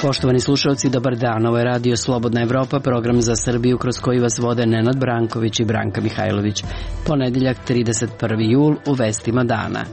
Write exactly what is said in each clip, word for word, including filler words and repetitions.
Poštovani slušalci, dobar dan. Ovo je Radio Slobodna Evropa, program za Srbiju kroz koji vas vode Nenad Branković i Branka Mihajlović. Ponedeljak, trideset prvi jul, u vestima dana.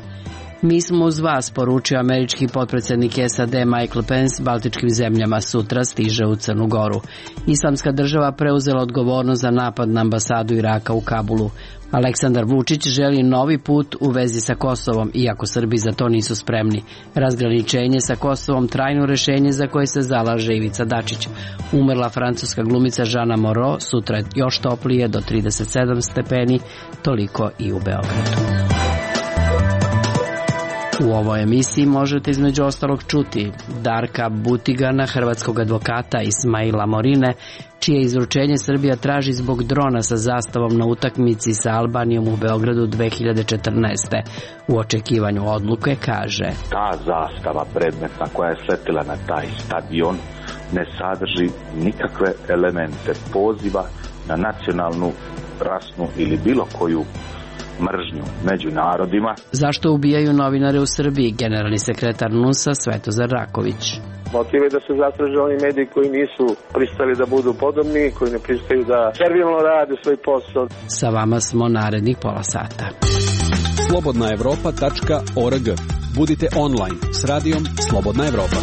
Mi smo uz vas, poručio američki potpredsjednik S A D Michael Pence baltičkim zemljama. Sutra stiže u Crnu Goru. Islamska država preuzela odgovornost za napad na ambasadu Iraka u Kabulu. Aleksandar Vučić želi novi put u vezi sa Kosovom, iako Srbi za to nisu spremni. Razgraničenje sa Kosovom trajno rešenje za koje se zalaže Ivica Dačić. Umrla francuska glumica Jeanne Moreau, sutra je još toplije do trideset sedam stepeni, toliko i u Beogradu. U ovoj emisiji možete između ostalog čuti Darka Butigana, hrvatskog advokata Ismaila Morine, čije izručenje Srbija traži zbog drona sa zastavom na utakmici sa Albanijom u Beogradu dve hiljade četrnaeste. U očekivanju odluke kaže: ta zastava predmetna koja je sletila na taj stadion ne sadrži nikakve elemente poziva na nacionalnu, rasnu ili bilo koju mržnju među narodima. Zašto ubijaju novinare u Srbiji? Generalni sekretar N U S-a Svetozar Raković. Motiv je da se zatraže oni mediji koji nisu pristali da budu podobni, koji ne pristaju da servilno rade svoj posao. Sa vama smo narednih pola sata. slobodna evropa tačka org. Budite online s radijom Slobodna Evropa.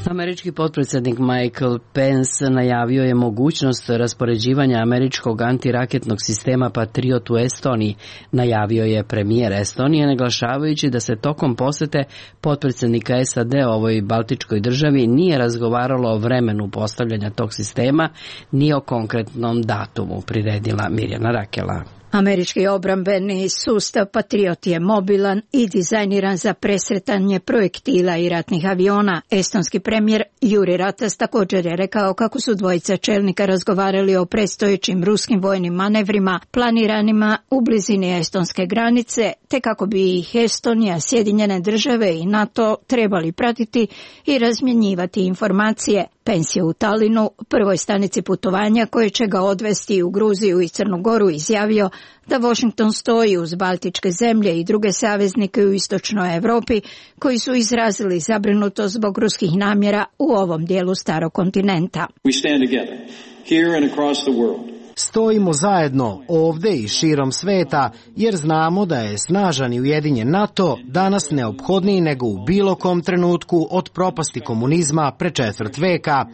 Američki potpredsjednik Michael Pence najavio je mogućnost raspoređivanja američkog antiraketnog sistema Patriot u Estoniji. Najavio je premijer Estonije, naglašavajući da se tokom posete potpredsjednika S A D ovoj baltičkoj državi nije razgovaralo o vremenu postavljanja tog sistema, ni o konkretnom datumu, priredila Mirjana Rakela. Američki obrambeni sustav Patriot je mobilan i dizajniran za presretanje projektila i ratnih aviona. Estonski premijer Juri Ratas također je rekao kako su dvojica čelnika razgovarali o predstojećim ruskim vojnim manevrima planiranima u blizini estonske granice, te kako bi ih Estonija, Sjedinjene države i NATO trebali pratiti i razmjenjivati informacije. Pence je u Talinu, prvoj stanici putovanja koje će ga odvesti u Gruziju i Crnu Goru, izjavio da Washington stoji uz baltičke zemlje i druge saveznike u istočnoj Europi koji su izrazili zabrinutost zbog ruskih namjera u ovom dijelu starog kontinenta. We stand together, here and across the world. Stojimo zajedno ovde i širom sveta jer znamo da je snažan i ujedinjen NATO danas neophodniji nego u bilo kom trenutku od propasti komunizma pre četvrt veka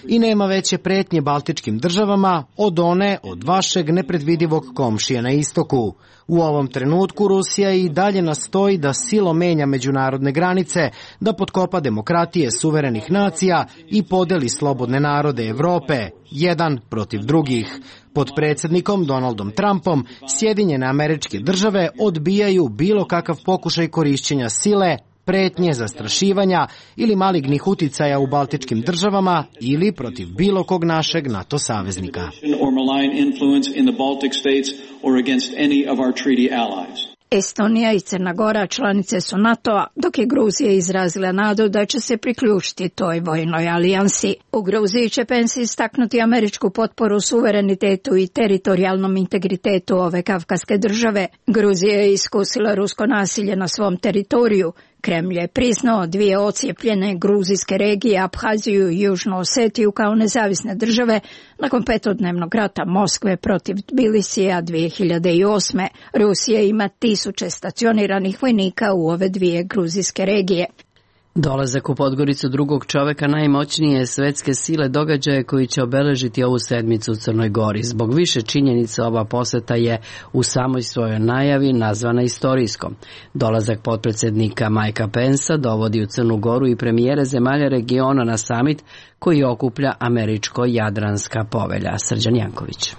i nema veće pretnje baltičkim državama od one od vašeg nepredvidivog komšije na istoku. U ovom trenutku Rusija i dalje nastoji da silom menja međunarodne granice, da potkopa demokratije suverenih nacija i podeli slobodne narode Evrope, jedan protiv drugih. Pod predsjednikom Donaldom Trumpom Sjedinjene Američke Države odbijaju bilo kakav pokušaj korišćenja sile, pretnje, zastrašivanja ili malignih uticaja u baltičkim državama ili protiv bilo kog našeg NATO saveznika. Estonija i Crna Gora članice su NATO-a, dok je Gruzija izrazila nadu da će se priključiti toj vojnoj alijansi. U Gruziji će Pence istaknuti američku potporu suverenitetu i teritorijalnom integritetu ove kavkaske države. Gruzija je iskusila rusko nasilje na svom teritoriju. Kremlj je priznao dvije ocijepljene gruzijske regije, Abhaziju i Južnu Osetiju, kao nezavisne države nakon petodnevnog rata Moskve protiv Tbilisija dvije hiljade osme. Rusija ima tisuće stacioniranih vojnika u ove dvije gruzijske regije. Dolazak u Podgoricu drugog čoveka najmoćnije svetske sile događaje koji će obeležiti ovu sedmicu u Crnoj Gori. Zbog više činjenica ova poseta je u samoj svojoj najavi nazvana istorijskom. Dolazak potpredsjednika Mikea Pencea dovodi u Crnu Goru i premijere zemalja regiona na samit koji okuplja Američko-Jadranska povelja. Srđan Janković.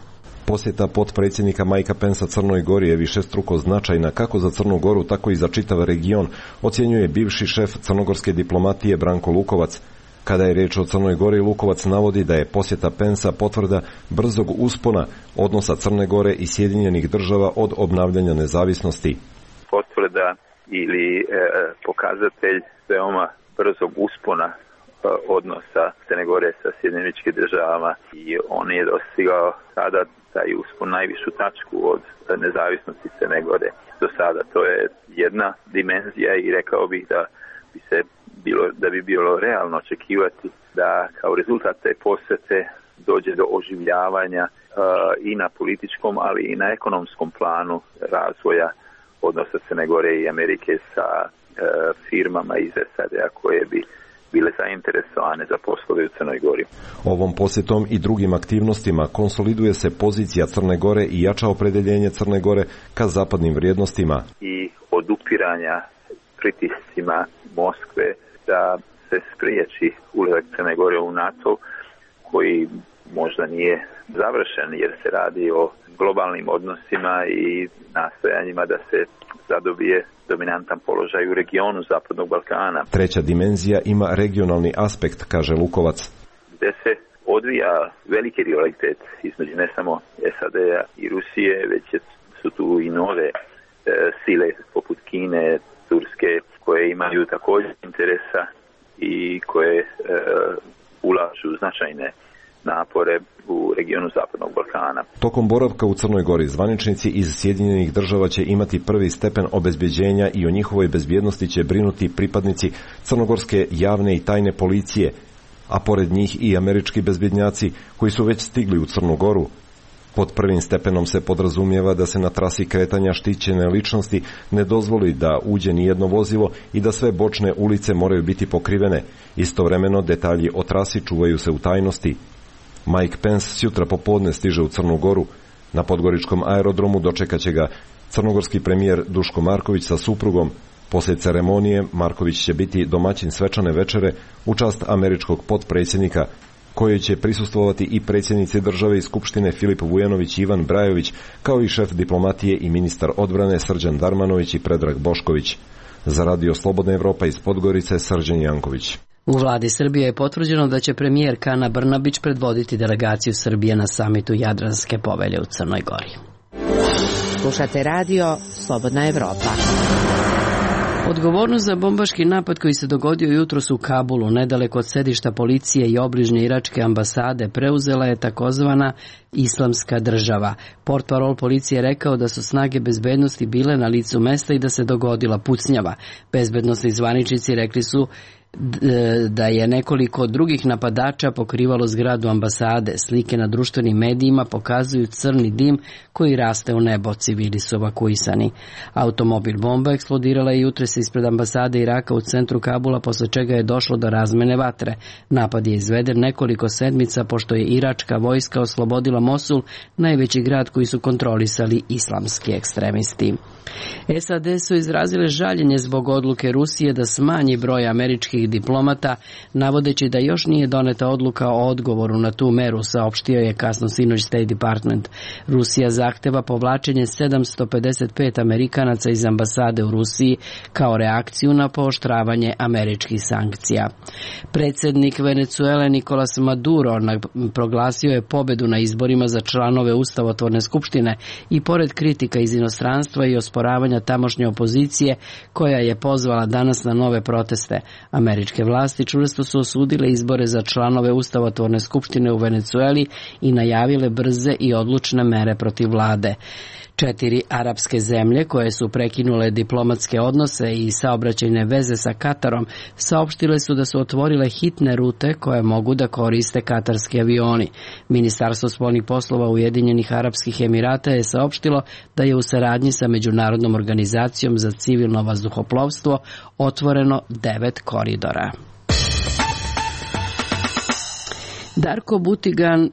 Posjeta potpredsjednika Mikea Pencea Crnoj Gori je višestruko značajna kako za Crnu Goru, tako i za čitav region, ocjenjuje bivši šef crnogorske diplomatije Branko Lukovac. Kada je riječ o Crnoj Gori, Lukovac navodi da je posjeta Pencea potvrda brzog uspona odnosa Crne Gore i Sjedinjenih država od obnavljanja nezavisnosti. Potvrda ili e, pokazatelj veoma brzog uspona odnosa Crne Gore sa Sjedinjenim Američkim Državama i on je dostigao sada taj uspon najvišu tačku od nezavisnosti Crne Gore do sada. To je jedna dimenzija i rekao bih da bi se bilo, da bi bilo realno očekivati da kao rezultat te posete dođe do oživljavanja uh, i na političkom, ali i na ekonomskom planu razvoja odnosa Crne Gore i Amerike sa uh, firmama iz S A D-a koje bi bile zainteresovane za poslove u Crnoj Gori. Ovom posjetom i drugim aktivnostima konsoliduje se pozicija Crne Gore i jača opredeljenje Crne Gore ka zapadnim vrijednostima i odupiranja pritiscima Moskve da se spriječi ulazak Crne Gore u NATO, koji možda nije završen jer se radi o globalnim odnosima i nastojanjima da se zadobije dominantan položaj u regionu Zapadnog Balkana. Treća dimenzija ima regionalni aspekt, kaže Lukovac. Gde se odvija veliki rivalitet između ne samo S A D-a i Rusije, već su tu i nove e, sile poput Kine, Turske, koje imaju također interesa i koje e, ulažu značajne napore u regionu Zapadnog Balkana. Tokom boravka u Crnoj Gori zvaničnici iz Sjedinjenih Država će imati prvi stepen obezbeđenja i o njihovoj bezbjednosti će brinuti pripadnici crnogorske javne i tajne policije, a pored njih i američki bezbjednjaci koji su već stigli u Crnu Goru. Pod prvim stepenom se podrazumijeva da se na trasi kretanja štićene ličnosti ne dozvoli da uđe ni jedno vozilo i da sve bočne ulice moraju biti pokrivene. Istovremeno detalji o trasi čuvaju se u tajnosti. Mike Pence sutra popodne stiže u Crnu Goru. Na podgoričkom aerodromu dočekat će ga crnogorski premijer Duško Marković sa suprugom. Poslije ceremonije Marković će biti domaćin svečane večere u čast američkog potpredsjednika, kojoj će prisustvovati i predsjednici države i skupštine Filip Vujanović i Ivan Brajović, kao i šef diplomatije i ministar odbrane Srđan Darmanović i Predrag Bošković. Za Radio Slobodna Evropa iz Podgorice, Srđan Janković. U vladi Srbije je potvrđeno da će premijerka Ana Brnabić predvoditi delegaciju Srbije na samitu Jadranske povelje u Crnoj Gori. Slušate radio Slobodna Evropa. Odgovornost za bombaški napad koji se dogodio jutros u Kabulu, nedaleko od sedišta policije i obližnje iračke ambasade, preuzela je takozvana Islamska država. Portparol policije rekao da su snage bezbednosti bile na licu mesta i da se dogodila pucnjava. Bezbednosni zvaničnici rekli su da je nekoliko drugih napadača pokrivalo zgradu ambasade. Slike na društvenim medijima pokazuju crni dim koji raste u nebo, civili su evakuisani. Automobil bomba eksplodirala je jutres ispred ambasade Iraka u centru Kabula, posle čega je došlo do razmene vatre. Napad je izveden nekoliko sedmica pošto je iračka vojska oslobodila Mosul, najveći grad koji su kontrolisali islamski ekstremisti. S A D su izrazile žaljenje zbog odluke Rusije da smanji broj američkih diplomata, navodeći da još nije doneta odluka o odgovoru na tu meru, saopštio je kasno sinoć State Department. Rusija zahteva povlačenje sedamsto pedeset pet Amerikanaca iz ambasade u Rusiji kao reakciju na pooštravanje američkih sankcija. Predsjednik Venecuele Nicolas Maduro proglasio je pobedu na izborima za članove Ustavotvorne skupštine i pored kritika iz inostranstva i osporavanja tamošnje opozicije koja je pozvala danas na nove proteste. Američke vlasti čvrsto su osudile izbore za članove Ustavotvorne skupštine u Venecueli i najavile brze i odlučne mere protiv vlade. Četiri arapske zemlje koje su prekinule diplomatske odnose i saobraćajne veze sa Katarom saopštile su da su otvorile hitne rute koje mogu da koriste katarski avioni. Ministarstvo spoljnih poslova Ujedinjenih Arapskih Emirata je saopštilo da je u saradnji sa Međunarodnom organizacijom za civilno vazduhoplovstvo otvoreno devet koridora. Darko Butigan,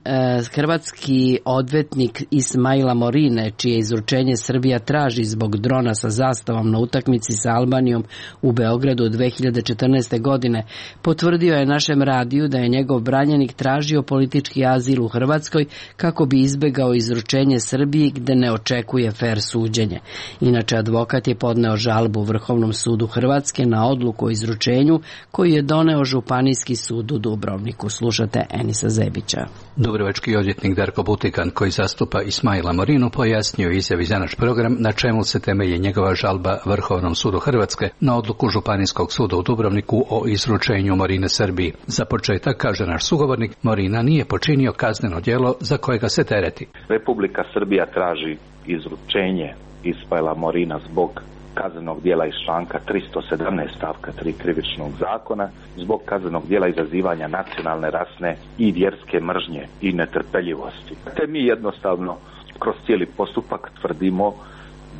hrvatski odvetnik Ismaila Morine, čije izručenje Srbija traži zbog drona sa zastavom na utakmici sa Albanijom u Beogradu dve hiljade četrnaeste. godine, potvrdio je našem radiju da je njegov branjenik tražio politički azil u Hrvatskoj kako bi izbegao izručenje Srbiji gde ne očekuje fer suđenje. Inače, advokat je podneo žalbu Vrhovnom sudu Hrvatske na odluku o izručenju koju je doneo Županijski sud u Dubrovniku. Slušate Eni Denisa Zebića. Dubrovački odvjetnik Darko Butikan, koji zastupa Ismaila Morinu, pojasnio izjavi za naš program na čemu se temelji njegova žalba Vrhovnom sudu Hrvatske na odluku Županijskog suda u Dubrovniku o izručenju Morine Srbiji. Za početak, kaže naš sugovornik, Morina nije počinio kazneno djelo za kojega se tereti. Republika Srbija traži izručenje Ismaila Morina zbog kaznenog djela iz članka tristo sedamnaest stavka tri Krivičnog zakona, zbog kaznenog djela izazivanja nacionalne, rasne i vjerske mržnje i netrpeljivosti. Te mi jednostavno kroz cijeli postupak tvrdimo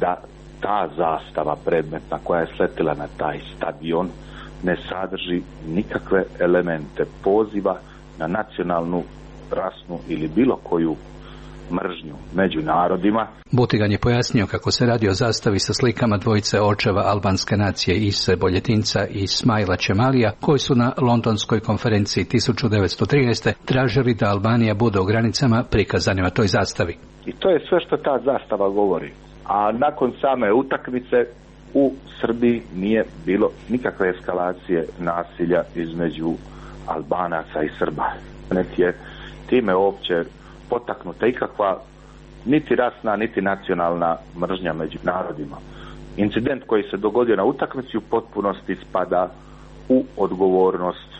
da ta zastava predmetna koja je sletila na taj stadion ne sadrži nikakve elemente poziva na nacionalnu, rasnu ili bilo koju mržnju među narodima. Butigan je pojasnio kako se radi o zastavi sa slikama dvojice očeva albanske nacije Ise Boljetinca i Ismaila Čemalija, koji su na londonskoj konferenciji tisuću devetsto trinaeste. tražili da Albanija bude u granicama prikazanima toj zastavi. I to je sve što ta zastava govori. A nakon same utakmice u Srbiji nije bilo nikakve eskalacije nasilja između Albanaca i Srba. Niti je time uopće potaknuta ikakva niti rasna, niti nacionalna mržnja među narodima. Incident koji se dogodio na utakmici u potpunosti spada u odgovornost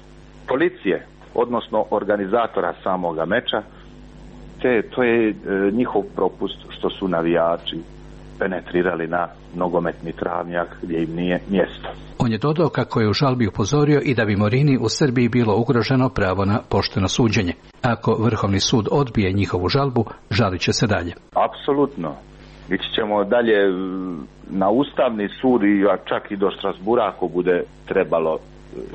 policije, odnosno organizatora samoga meča, te to je e, njihov propust što su navijači penetrirali na nogometni travnjak gdje im nije mjesto. On je dodao kako je u žalbi upozorio i da bi Morini u Srbiji bilo ugroženo pravo na pošteno suđenje. Ako Vrhovni sud odbije njihovu žalbu, žalit će se dalje. Apsolutno. Ići ćemo dalje na Ustavni sud i čak i do Strasbura ako bude trebalo,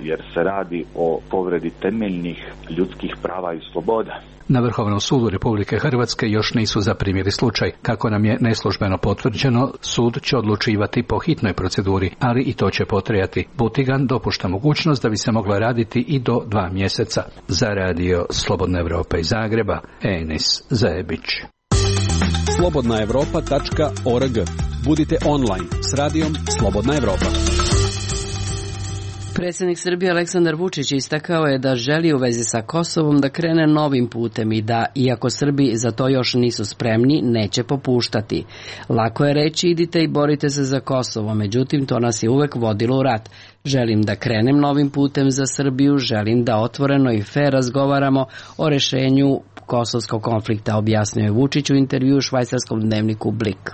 jer se radi o povredi temeljnih ljudskih prava i sloboda. Na Vrhovnom sudu Republike Hrvatske još nisu zaprimili slučaj. Kako nam je neslužbeno potvrđeno, sud će odlučivati po hitnoj proceduri, ali i to će potrajati. Butigan dopušta mogućnost da bi se moglo raditi i do dva mjeseca. Za radio Slobodna Evropa iz Zagreba, Enis Zajebić. slobodna evropa tačka org. Budite online s radijom Slobodna Evropa. Predsjednik Srbije Aleksandar Vučić istakao je da želi u vezi sa Kosovom da krene novim putem i da, iako Srbi za to još nisu spremni, neće popuštati. Lako je reći idite i borite se za Kosovo, međutim to nas je uvek vodilo u rat. Želim da krenem novim putem za Srbiju, želim da otvoreno i fer razgovaramo o rešenju kosovskog konflikta, objasnio je Vučić u intervju u švajcarskom dnevniku Blik.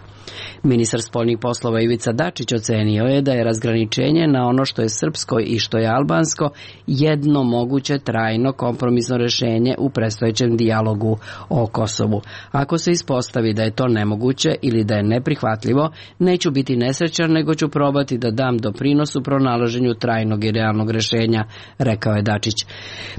Ministar spoljnih poslova Ivica Dačić ocenio je da je razgraničenje na ono što je srpsko i što je albansko jedno moguće trajno kompromisno rešenje u predstojećem dijalogu o Kosovu. Ako se ispostavi da je to nemoguće ili da je neprihvatljivo, neću biti nesrećan, nego ću probati da dam doprinos u pronalaženju trajnog i realnog rešenja, rekao je Dačić.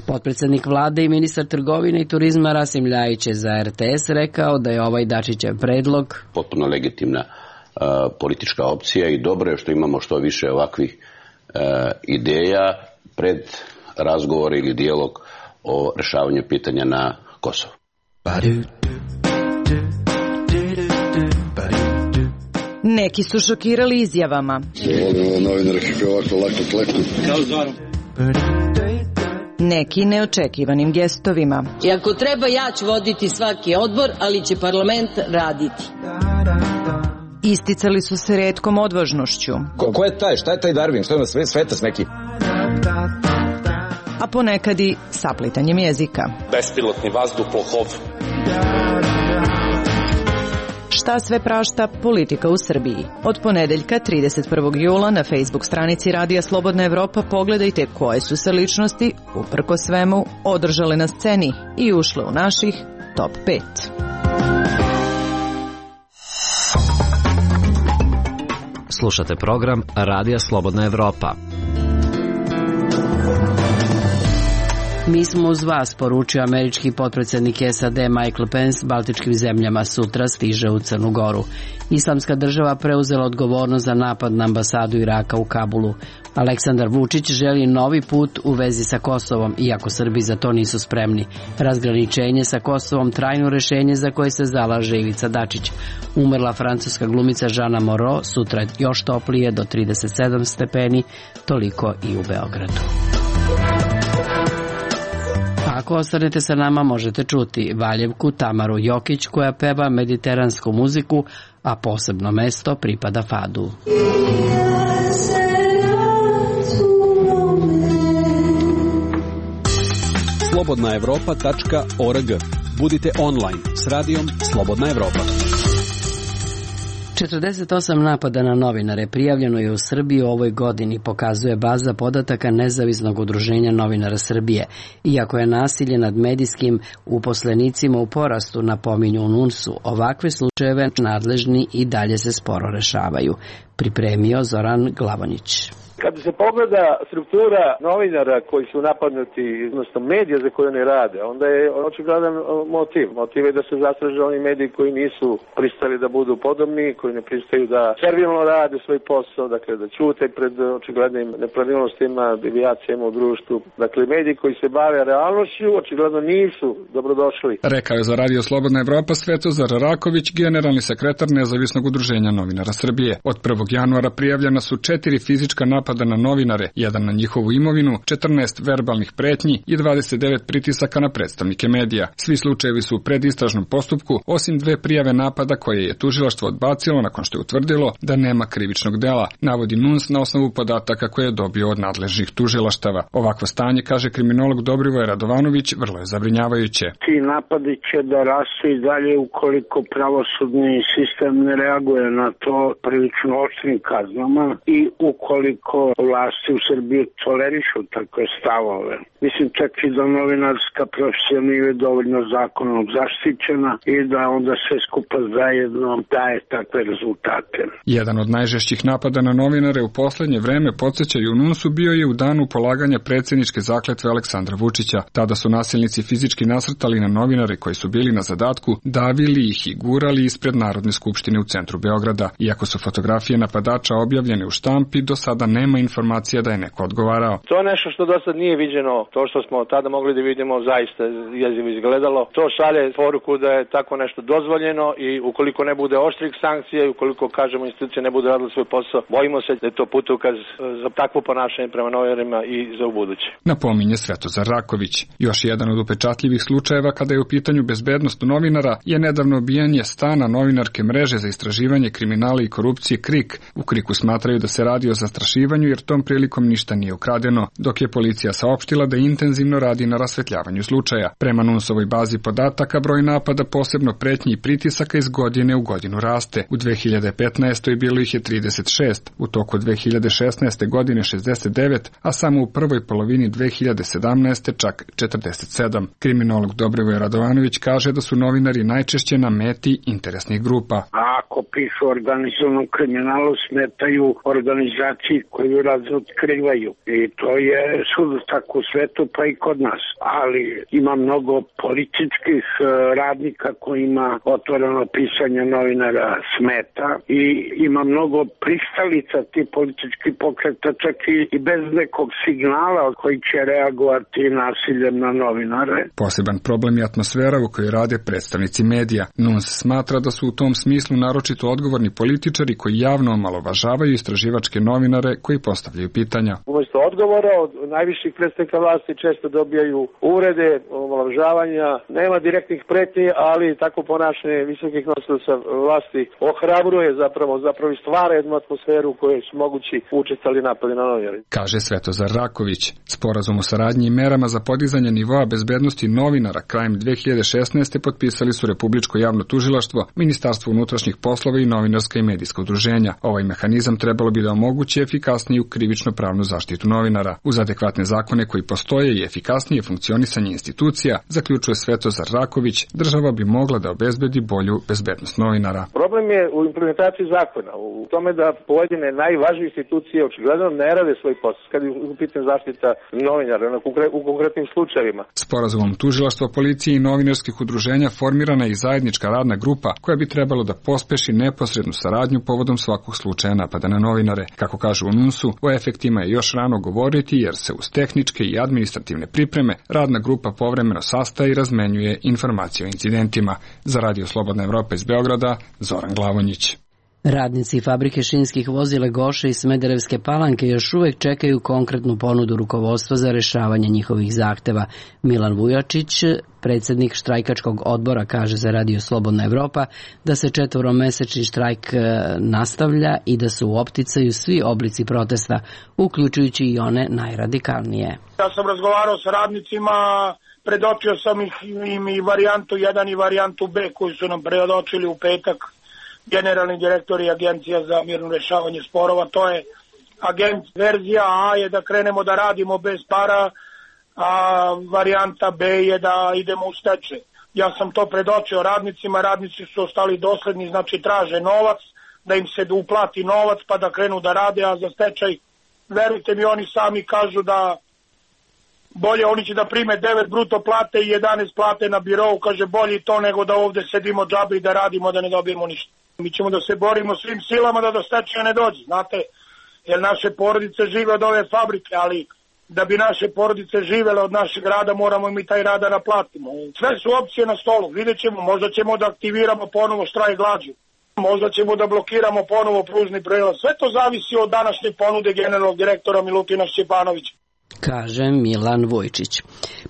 Potpredsjednik vlade i ministar trgovine i turizma Rasim Ljajić je za R T S rekao da je ovaj Dačićev predlog potpuno legitimna uh, politička opcija i dobro je što imamo što više ovakvih uh, ideja pred razgovor ili dijalog o rešavanju pitanja na Kosovu. Neki su šokirali izjavama. Neki neočekivanim gestovima. I ako treba, ja ću voditi svaki odbor, ali će parlament raditi. Isticali su se retkom odvažnošću. Ko, ko je taj? Šta je taj Darwin? Što je na sve, svetac neki? A ponekad i saplitanjem jezika. Bespilotni vazduhoplov. Šta sve prašta politika u Srbiji? Od ponedeljka trideset prvog jula na Facebook stranici Radija Slobodna Evropa pogledajte koje su se ličnosti, uprko svemu, održale na sceni i ušle u naših top pet. Slušate program Radija Slobodna Evropa. Mi smo uz vas, poručio američki potpredsjednik S A D Michael Pence baltičkim zemljama, sutra stiže u Crnu Goru. Islamska država preuzela odgovornost za napad na ambasadu Iraka u Kabulu. Aleksandar Vučić želi novi put u vezi sa Kosovom, iako Srbi za to nisu spremni. Razgraničenje sa Kosovom trajno rešenje za koje se zalaže Ivica Dačić. Umrla francuska glumica Žana Moreau, sutra još toplije do trideset sedam stepeni, toliko i u Beogradu. ako ostanete sa nama možete čuti Valjevku Tamaru Jokić koja peva mediteransku muziku, a posebno mesto pripada fadu. slobodna evropa tačka org. Budite online s radijom Slobodna Evropa. četrdeset osam napada na novinare prijavljeno je u Srbiji u ovoj godini, pokazuje baza podataka Nezavisnog udruženja novinara Srbije. Iako je nasilje nad medijskim uposlenicima u porastu, napominju u NUNS-u, ovakve slučajeve nadležni i dalje se sporo rešavaju. Pripremio Zoran Glavonić. Kada se pogleda struktura novinara koji su napadnuti, odnosno medija za koje oni rade, onda je očigledan motiv. Motiv je da se zastraže oni mediji koji nisu pristali da budu podobni, koji ne pristaju da servilno rade svoj posao, dakle da ćute pred očiglednim nepravilnostima, devijacijama u društvu. Dakle, mediji koji se bave realnošću očigledno nisu dobrodošli. Rekao je za Radio Slobodna Evropa Svetozar Raković, generalni sekretar Nezavisnog udruženja novinara Srbije. Od prvog januara prijavljena su četiri fizička napada na novinare, jedan na njihovu imovinu, četrnaest verbalnih pretnji i dvadeset devet pritisaka na predstavnike medija. Svi slučajevi su u predistražnom postupku, osim dve prijave napada koje je tužilaštvo odbacilo nakon što je utvrdilo da nema krivičnog dela, navodi NUNS na osnovu podataka koje je dobio od nadležnih tužilaštava. Ovakvo stanje, kaže kriminolog Dobrivoje Radovanović, vrlo je zabrinjavajuće. Ti napadi će da rastu i dalje ukoliko pravosudni sistem ne reaguje na to prilično oštrim kaznama i ukoliko vlasti u Srbiji tolerišu takve stavove. Mislim čak i da novinarska profesija nije dovoljno zakonom zaštićena i da onda sve skupa zajedno daje takve rezultate. Jedan od najžešćih napada na novinare u poslednje vreme, podsjećaju u NUNS-u, bio je u danu polaganja predsjedničke zakletve Aleksandra Vučića. Tada su nasilnici fizički nasrtali na novinare koji su bili na zadatku, davili ih i gurali ispred Narodne skupštine u centru Beograda. Iako su fotografije napadača objavljene u štampi, do sada nema informacija da je neko odgovarao. To je nešto što do sad nije viđeno, to što smo tada mogli da vidimo zaista jezivo izgledalo. To šalje poruku da je tako nešto dozvoljeno i ukoliko ne bude oštrih sankcija i ukoliko, kažemo, institucije ne bude radile svoj posao, bojimo se da je to putokaz za takvo ponašanje prema novinarima i za ubuduće. Napominje Svetozar Raković. Još jedan od upečatljivih slučajeva kada je u pitanju bezbednost novinara je nedavno obijanje stana novinarke mreže za istraživanje kriminala i korupcije KRIK. U KRIK-u smatraju da se radi o zastrašivanju jer tom prilikom ništa nije ukradeno, dok je policija saopštila da intenzivno radi na rasvetljavanju slučaja. Prema NUNS-ovoj bazi podataka, broj napada, posebno pretnji i pritisaka, iz godine u godinu raste. U dve hiljade petnaestoj bilo ih je trideset šest, u toku dve hiljade šesnaeste godine šezdeset devet, a samo u prvoj polovini dve hiljade sedamnaeste čak četrdeset sedam. Kriminolog Dobrivoje Radovanović kaže da su novinari najčešće na meti interesnih grupa. A ako pišu o organizovanom kriminalu, smetaju organizaciji koju razotkrivaju. I to je sud tako u svetu, pa i kod nas. Ali ima mnogo političkih radnika kojima otvoreno pisanje novinara smeta i ima mnogo pristalica ti politički pokreta, čak i bez nekog signala koji će reagovati nasiljem na novinare. Poseban problem je atmosfera u kojoj rade predstavnici medija. NUNS smatra da su u tom smislu naročito odgovorni političari koji javno omalovažavaju istraživačke novinare koji postavljaju pitanja. Umesto odgovora od najviših predstavnika vlasti često dobijaju uvrede, omalovažavanja, nema direktnih pretnji, ali tako ponašanje visokih nosilaca vlasti ohrabruje zapravo, zapravo i stvara jednu atmosferu u kojoj su mogući učestali napadi na novinare. Kaže Svetozar Raković. Sporazum o saradnji i merama za podizanje nivoa bezbednosti novinara krajem dve hiljade šesnaeste potpisali su Republičko javno tužilaštvo, Ministarstvo unutrašnjih poslova i Novinarska i medijska udruženja. Ovaj mehanizam trebalo bi da omogući efikasniju krivično-pravnu zaštitu novinara. Uz adekvatne zakone koji postoje i efikasnije funkcionisanje institucija, zaključuje Svetozar Raković, država bi mogla da obezbedi bolju bezbednost novinara. Problem je u implementaciji zakona, u tome da pojedine najvažnije institucije očigledno ne rade svoj posao kad je u pitanju zaštita novinara u konkretnim slučajevima. Sporazumom tužilaštva, policije i novinarskih udruženja formirana je i zajednička radna grupa koja bi trebalo da pospeši neposrednu saradnju povodom svakog slučaja napada na novinare. Kako kažu u NUNS-u, o efektima je još rano govoriti jer se uz tehničke i administrativne pripreme radna grupa povremeno sastaje i razmenjuje informacije o incidentima. Za Radio Slobodna Evropa iz Beograda, Zoran Glavonjić. Radnici fabrike šinskih vozila Goše i Smederevske Palanke još uvek čekaju konkretnu ponudu rukovodstva za rešavanje njihovih zahteva. Milan Vujačić, predsednik štrajkačkog odbora, kaže za Radio Slobodna Evropa da se četvoromesečni štrajk nastavlja i da su u opticaju svi oblici protesta, uključujući i one najradikalnije. Ja sam razgovarao sa radnicima, predočio sam ih im i varijantu jedan i varijantu B koju su nam predočili u petak generalni direktor i Agencija za mirno rešavanje sporova. To je agent, verzija A je da krenemo da radimo bez para, a varijanta B je da idemo u stečaj. Ja sam to predočio radnicima, radnici su ostali dosledni, znači traže novac, da im se uplati novac pa da krenu da rade, a za stečaj, verujte mi, oni sami kažu da bolje oni će da prime devet bruto plate i jedanaest plate na birou, kaže bolje to nego da ovde sedimo džabe i da radimo da ne dobijemo ništa. Mi ćemo da se borimo svim silama da do stečaja ne dođe, znate, jer naše porodice žive od ove fabrike, ali da bi naše porodice živele od našeg rada moramo mi taj rad da naplatimo. Sve su opcije na stolu, vidjet ćemo, možda ćemo da aktiviramo ponovo štrajk glađu, možda ćemo da blokiramo ponovo pružni prelaz, sve to zavisi od današnje ponude generalnog direktora Milutina Šćepanovića, kaže Milan Vujčić.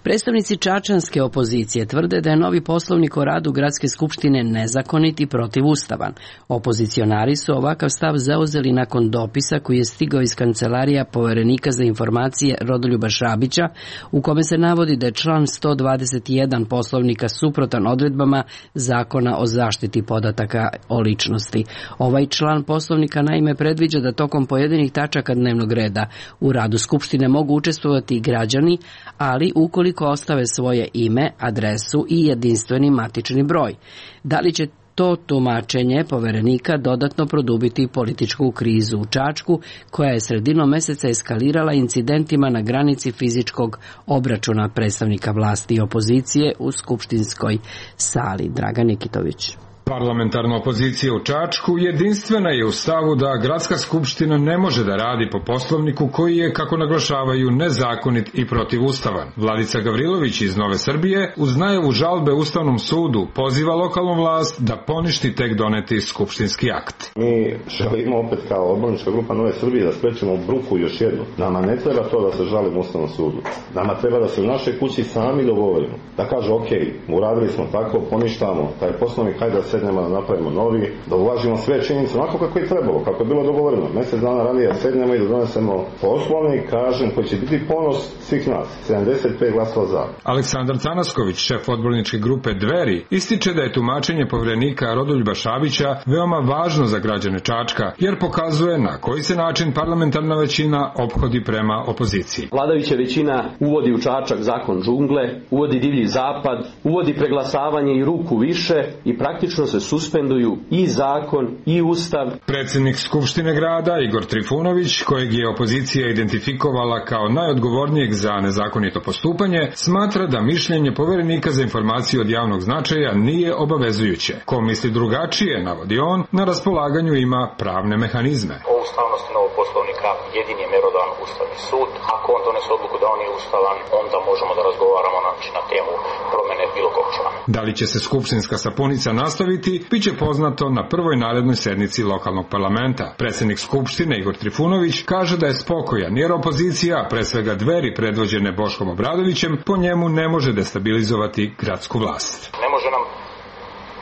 Predstavnici čačanske opozicije tvrde da je novi poslovnik o radu Gradske skupštine nezakonit i protivustavan. Opozicionari su ovakav stav zauzeli nakon dopisa koji je stigao iz kancelarija Poverenika za informacije Rodoljuba Šabića, u kome se navodi da je član sto dvadeset jedan poslovnika suprotan odredbama Zakona o zaštiti podataka o ličnosti. Ovaj član poslovnika naime predviđa da tokom pojedinih tačaka dnevnog reda u radu skupštine mogu učestvovati i građani, ali ukoliko ostave svoje ime, adresu i jedinstveni matični broj. Da li će to tumačenje Poverenika dodatno produbiti političku krizu u Čačku, koja je sredinom meseca eskalirala incidentima na granici fizičkog obračuna predstavnika vlasti i opozicije u skupštinskoj sali? Dragan Nikitović. Parlamentarna opozicija u Čačku jedinstvena je u stavu da Gradska skupština ne može da radi po poslovniku koji je, kako naglašavaju, nezakonit i protivustavan. Vladica Gavrilović iz Nove Srbije uz najavu žalbe Ustavnom sudu poziva lokalnu vlast da poništi tek doneti skupštinski akt. Mi želimo opet kao odbornička grupa Nove Srbije da sprečimo bruku još jednu. Nama ne treba to da se žalimo Ustavnom sudu. Nama treba da se u našoj kući sami dogovorimo. Da kaže, ok, uradili smo tako, poništamo taj poslovnik, hajde da se sednemo da napravimo novi, da uvažimo sve činjenice onako kako je trebalo, kako je bilo dogovoreno. Mesec dana ranije sednemo i da donesemo poslovnik, kažem, koji će biti ponos svih nas. sedamdeset pet glasova za. Aleksandar Canasković, šef odborničke grupe Dveri, ističe da je tumačenje Poverenika Rodoljuba Šabića veoma važno za građane Čačka, jer pokazuje na koji se način parlamentarna većina ophodi prema opoziciji. Vladajuća većina uvodi u Čačak zakon džungle, uvodi divlji zapad, uvodi preglasavanje i ruku više i praktično se suspenduju i zakon i ustav. Predsednik Skupštine grada Igor Trifunović, kojeg je opozicija identifikovala kao najodgovornijeg za nezakonito postupanje, smatra da mišljenje Poverenika za informacije od javnog značaja nije obavezujuće. Ko misli drugačije, navodi on, na raspolaganju ima pravne mehanizme. O ustavnosti novog poslovnika jedini je merodavan Ustavni sud. Ako on donese odluku da on je ustavan, onda možemo da razgovaramo znači, na temu promene bilo kog člana. Da li će se skupštinska sapunica nastaviti, biće poznato na prvoj narednoj sednici lokalnog parlamenta. Predsednik Skupštine Igor Trifunović kaže da je spokojan, jer opozicija, pre svega Dveri predvođene Boškom Obradovićem, po njemu ne može destabilizovati gradsku vlast. Ne može nam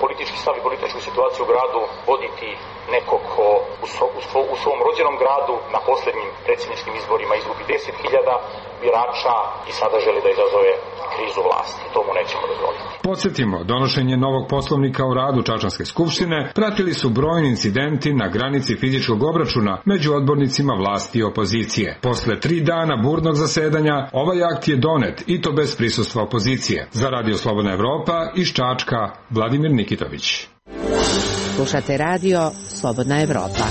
politički stav i političku situaciju u gradu voditi neko ko u, so, u, svo, u svom rođenom gradu na poslednjim predsjedničkim izborima izgubi deset hiljada birača i sada želi da izazove krizu vlasti. To mu nećemo dozvoliti. Podsjetimo, donošenje novog poslovnika o radu Čačanske skupštine pratili su brojni incidenti na granici fizičkog obračuna među odbornicima vlasti i opozicije. Posle tri dana burnog zasedanja, ovaj akt je donet i to bez prisustva opozicije. Za Radio Slobodna Evropa iz Čačka, Vladimir Nikitović. Slušate radio Slobodna Evropa.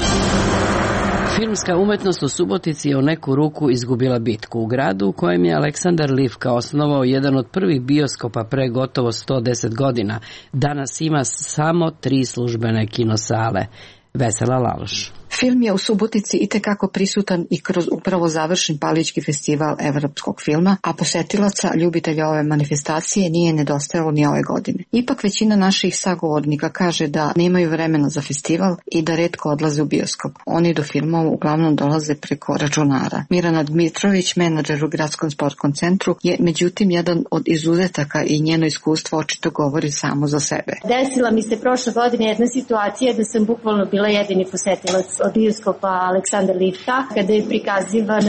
Filmska umetnost u Subotici je u neku ruku izgubila bitku. U gradu u kojem je Aleksandar Livka osnovao jedan od prvih bioskopa pre gotovo sto deset godina, danas ima samo tri službene kinosale. Vesela Laloš. Film je u Subotici itekako prisutan i kroz upravo završen Palićki festival evropskog filma, a posetilaca, ljubitelja ove manifestacije nije nedostajalo ni ove godine. Ipak većina naših sagovornika kaže da nemaju vremena za festival i da retko odlaze u bioskop. Oni do filmova uglavnom dolaze preko računara. Mirana Dmitrović, menadžer u Gradskom sportskom centru, je međutim jedan od izuzetaka i njeno iskustvo očito govori samo za sebe. Desila mi se prošle godine jedna situacija da sam bukvalno bila jedini posetilac od bioskopa Aleksandar Livka, kada je prikazivan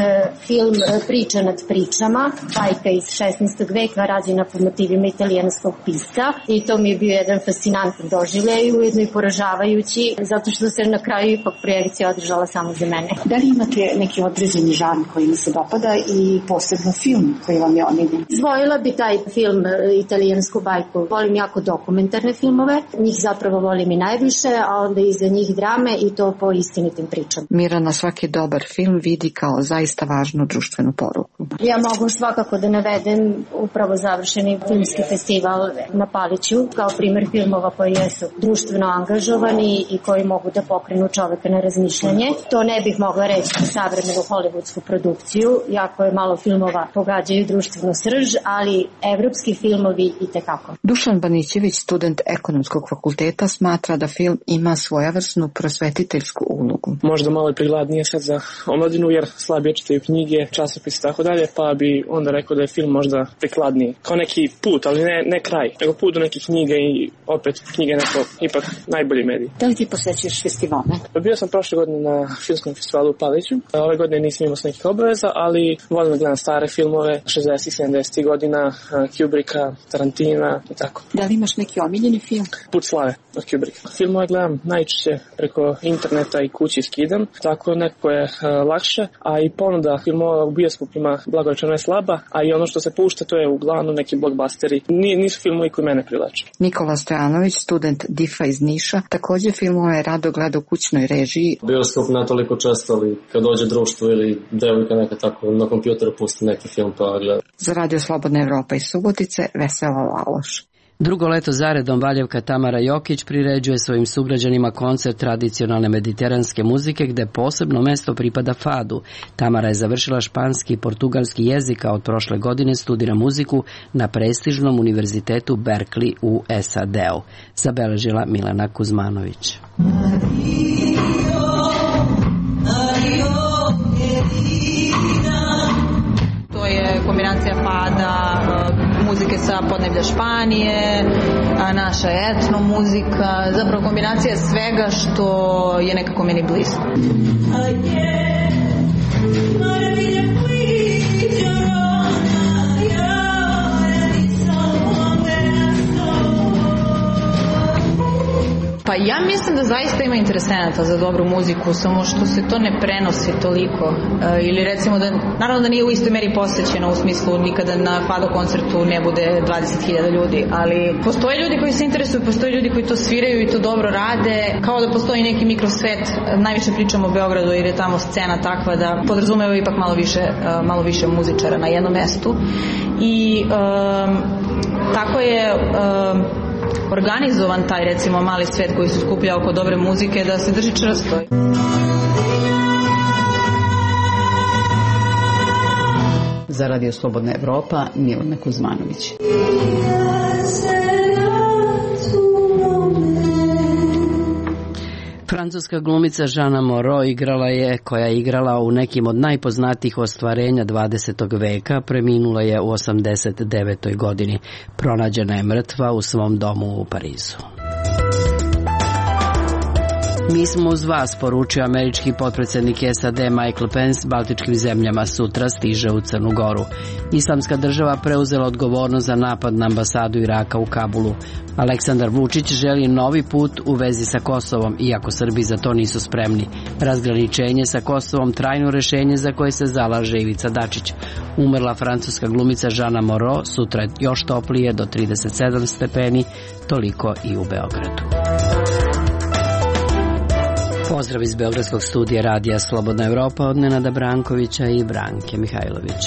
film Priča nad pričama, bajka iz šesnaestog veka rađena po motivima italijanskog pisca, i to mi je bio jedan fascinantan doživljaj i ujedno i poražavajući, zato što se na kraju ipak projekcija održala samo za mene. Da li imate neki određeni žanr koji mi se dopada i posebno film koji vam je omiljen? Zvojila bi taj film italijansku bajku. Volim jako dokumentarne filmove, njih zapravo volim i najviše, a onda iza njih drame i to po istinitim pričama. Mirana svaki dobar film vidi kao zaista važnu društvenu poruku. Ja mogu svakako da navedem upravo završeni filmski festival na Paliću kao primer filmova koji jesu društveno angažovani i koji mogu da pokrenu čoveka na razmišljanje. To ne bih mogla reći za savremenu hollywoodsku produkciju, jako je malo filmova pogađaju društvenu srž, ali evropski filmovi i tekako. Dušan Banićević, student ekonomskog fakulteta, smatra da film ima svojevrsnu prosvetiteljsku ulogu. Možda malo je prigladnije sad za omladinu jer slabije čitaju knjige, časopise i tako dalje, pa bi onda rekao da je film možda prikladniji. Kao neki put, ali ne, ne kraj, nego put do neke knjige i opet knjige neko ipak najbolji medij. Da li ti posjećuješ festivale? Bio sam prošle godine na filmskom festivalu u Paliću. Ove godine nisam imao s nekih obaveza, ali volim da gledam stare filmove šezdesetih sedamdesetih godina, Kubricka, Tarantina i tako. Da li imaš neki omiljeni film? Put slave od Kubricka. Filmove gledam najčešće preko interneta i kući skidam, tako neko je uh, lakše, a i ponuda filmova u bioskopima blagorečeno je slaba, a i ono što se pušta to je uglavnom neki blockbusteri. Ni, nisu filmovi koji mene privlače. Nikola Stojanović, student D I F-a iz Niša, također filmove rado gleda u kućnoj režiji. Bioskop ne toliko često, ali kad dođe društvo ili devojka neka tako na kompjuteru pusti neki film pa gleda. Za Radio Slobodna Evropa iz Subotice, Vesela Laloš. Drugo leto zaredom Valjevka Tamara Jokić priređuje svojim sugrađanima koncert tradicionalne mediteranske muzike gde posebno mesto pripada fadu. Tamara je završila španski i portugalski jezik, a od prošle godine studira muziku na prestižnom univerzitetu Berkeley u S A D-u. Zabeležila Milena Kuzmanović. To je kombinacija fada, muzike sa podneblja Španije, naša etno muzika, zapravo kombinacija svega što je nekako meni blizu. Pa ja mislim da zaista ima interesenata za dobru muziku, samo što se to ne prenosi toliko. E, ili recimo da, naravno da nije u istoj meri posvećeno, u smislu nikada na fado koncertu ne bude dvadeset hiljada ljudi, ali postoje ljudi koji se interesuju, postoje ljudi koji to sviraju i to dobro rade, kao da postoji neki mikrosvet. Najviše pričamo o Beogradu jer je tamo scena takva da podrazumeva ipak malo više, malo više muzičara na jednom mestu. I um, tako je um, organizovan taj recimo mali svet koji se skuplja oko dobre muzike da se drži čvrsto. Za Radio Slobodna Evropa, Milena Kuzmanović. Francuska glumica Jeanne Moreau igrala je, koja je igrala u nekim od najpoznatijih ostvarenja dvadesetog veka, preminula je u osamdeset devetoj godini. Pronađena je mrtva u svom domu u Parizu. Mi smo uz vas, poručio američki potpredsjednik S A D Michael Pence baltičkim zemljama. Sutra stiže u Crnu Goru. Islamska država preuzela odgovornost za napad na ambasadu Iraka u Kabulu. Aleksandar Vučić želi novi put u vezi sa Kosovom, iako Srbi za to nisu spremni. Razgraničenje sa Kosovom trajno rešenje za koje se zalaže Ivica Dačić. Umrla francuska glumica Jeanne Moreau, sutra još toplije do trideset sedam stepeni, toliko i u Beogradu. Pozdrav iz Beogradskog studija Radija Slobodna Evropa od Nenada Brankovića i Branke Mihajlović.